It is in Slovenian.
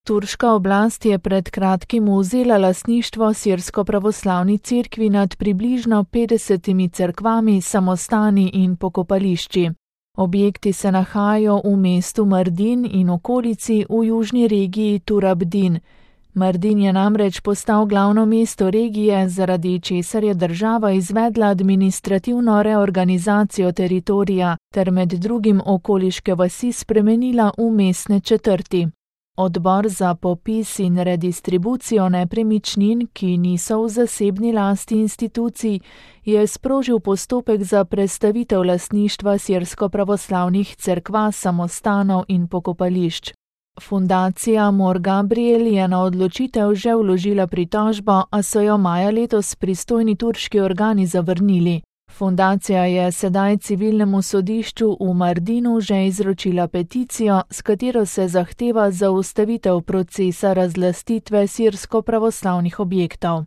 Turška oblast je pred kratkim vzela lastništvo sirsko-pravoslavni cerkvi nad približno 50 cerkvami, samostani in pokopališči. Objekti se nahajajo v mestu Mardin in okolici v južni regiji Turabdin. Mardin je namreč postal glavno mesto regije, zaradi česar je država izvedla administrativno reorganizacijo teritorija ter med drugim okoliške vasi spremenila v mestne četrti. Odbor za popis in redistribucijo nepremičnin, ki niso v zasebni lasti institucij, je sprožil postopek za prestavitev lastništva sirsko-pravoslavnih cerkva, samostanov in pokopališč. Fundacija Mor Gabriel je na odločitev že vložila pritožbo, a so jo maja letos pristojni turški organi zavrnili. Fundacija je sedaj civilnemu sodišču v Mardinu že izročila peticijo, s katero se zahteva zaustavitev procesa razlastitve sirsko-pravoslavnih objektov.